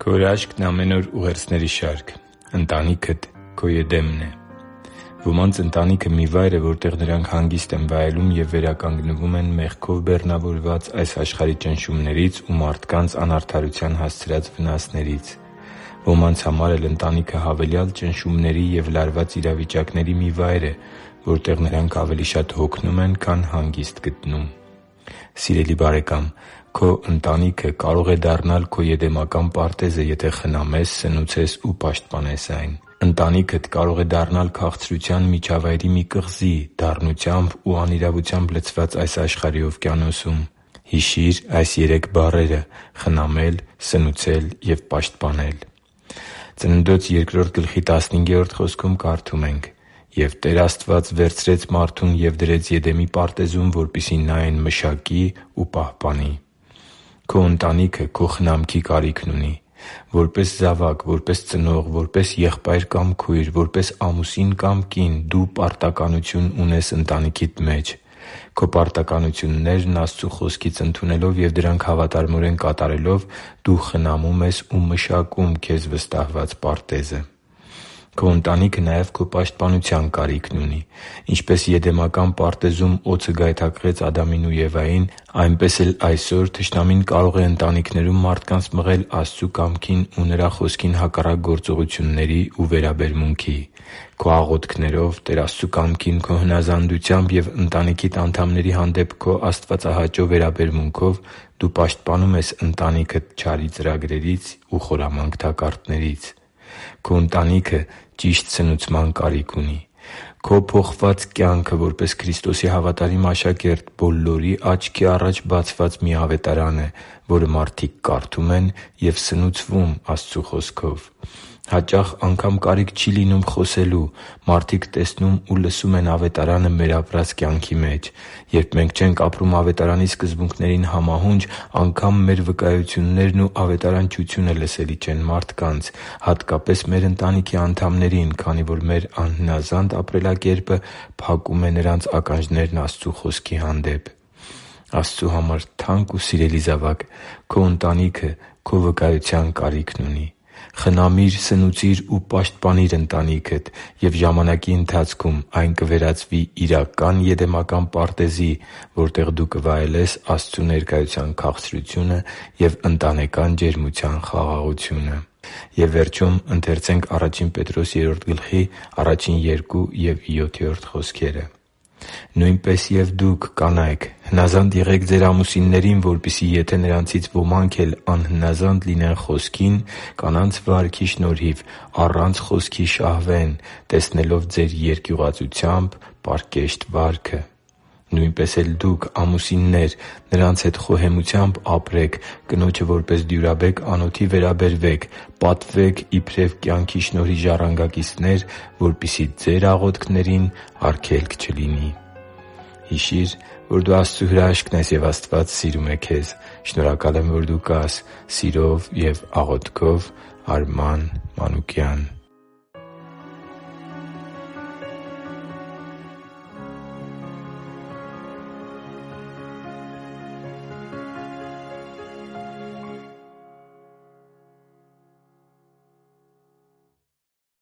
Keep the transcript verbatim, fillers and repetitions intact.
Քո հրաշքն ամեն օր ուղերձների շարք։ Ընտանիքդ քո Եդեմն է։ Ոմանց ընտանիքը մի վայր է, որտեղ նրանք հանգիստ են վայելում և վերականգնվում են մեղքով բեռնավորված այս աշխարհի ճնշումներից ու մարդկանց անարդարության հասցրած վնասներից։ Ոմանց համար էլ ընտանիքը հավելյալ ճնշումների և լարված իրավիճակների մի վայր է, որտեղ նրանք ավելի շատ հոգնում են, քան հանգիստ գտնում։ Սիրելի՛ բարեկամ, քո ընտանիքը կարող է դառնալ քո եդեմական պարտեզը, եթե խնամես, սնուցես ու պաշտպանես այն։ Ընտանիքդ կարող է դառնալ քաղցրության միջավայրի մի կղզի՝ դառնությամբ ու անիրավությամբ լցված այս աշխարհի օվկիանոսում։ Հիշի՛ր այս երեք բառերը՝ խնամել, սնուցել և պաշտպանել։ Ծննդոց երկրորդ գլխի տասնհինգերորդ խոսքում կարդում ենք. «Եվ Տեր Աստված վերցրեց մարդուն և դրեց Եդեմի պարտեզում, որպեսզի նա այն մշակի ու պահպանի»։ Քո ընտանիքը քո խնամքի կարիքն ունի։ Որպես զավակ, որպես ծնող, որպես եղբայր կամ քույր, որպես ամուսին կամ կին դու պարտականություն ունես ընտանիքիդ մեջ։ Քո պարտականություններն Աստծու Խոսքից ընդունելով և դրանք հավատարմորեն կատարելով՝ դու խնամում ես ու մշակում քեզ վստահված պարտեզը։ Քո ընտանիքը նաև քո պաշտպանության կարիքն ունի։ Ինչպես Եդեմական պարտեզում օձը գայթակղեց Ադամին ու Եվային, այնպես էլ այսօր թշնամին կարող է ընտանիքներում մարդկանց մղել Աստծու կամքին ու Նրա Խոսքին հակառակ գործողությունների ու վերաբերմունքի։ Քո աղոթքներով, Տեր Աստծու կամքին քո հնազանդությամբ և ընտանիքիդ անդամների հանդեպ քո աստվածահաճո վերաբերմունքով դու պաշտպանում ես ընտանիքդ չարի ծրագրերից ու խորամանկ թակարդներից։ Քո ընտանիքը ճիշտ սնուցման կարիք ունի։ Քո փոխված կյանքը որպես Քրիստոսի հավատարիմ աշակերտ բոլորի աչքի առաջ բացված մի ավետարան է, որը մարդիկ կարդում են և սնուցվում Աստծու Խոսքով։ Հաճախ անգամ կարիք չի լինում խոսելու։ Մարդիկ տեսնում ու լսում են ավետարանը մեր ապրած կյանքի մեջ։ Երբ մենք չենք ապրում ավետարանի սկզբունքներին համահունչ, անգամ մեր վկայություններն ու ավետարանչությունը լսելի չեն մարդկանց, հատկապես մեր ընտանիքի անդամներին, քանի որ մեր անհնազանդ ապրելակերպը փակում է նրանց ականջներն Աստծու Խոսքի հանդեպ։ Աստծու համար թանկ ու սիրելի՛ զավակ, քո ընտանիքը քո վկայության կարիքն ունի։ Խնամի՛ր, սնուցի՛ր ու պաշտպանի՛ր ընտանիքդ, և ժամանակի ընթացքում այն կվերածվի իրական եդեմական պարտեզի, որտեղ դու կվայելես Աստծու ներկայության քաղցրությունը և ընտանեկան ջերմության խաղաղությունը։ «Նույնպես և դուք, կանայք, հնազանդ եղեք ձեր ամուսիններին, որպեսզի եթե նրանցից ոմանք էլ անհնազանդ լինեն խոսքին, կանանց վարքի շնորհիվ առանց խոսքի շահվեն, տեսնելով ձեր երկյուղածությամբ պարկեշտ վարքը։ Նույնպես էլ դուք, ամուսիննե՛ր, նրանց հետ խոհեմությամբ ապրեք, կնոջը որպես դյուրաբեկ անոթի վերաբերվեք, պատվե՛ք իբրև կյանքի շնորհի ժառանգակիցներ, որպեսզի ձեր աղոթքներին արգելք չլինի» (Ա Պետրոս երրորդ գլխի առաջին երկու և յոթերորդ խոսքերը)։ Հիշի՛ր, որ դու Աստծո հրաշքն ես, և Աստված սիրում է քեզ։ Շնորհակալ եմ, որ դու կա՛ս։ Սիրով և աղոթքով, Արման Մանուկյան։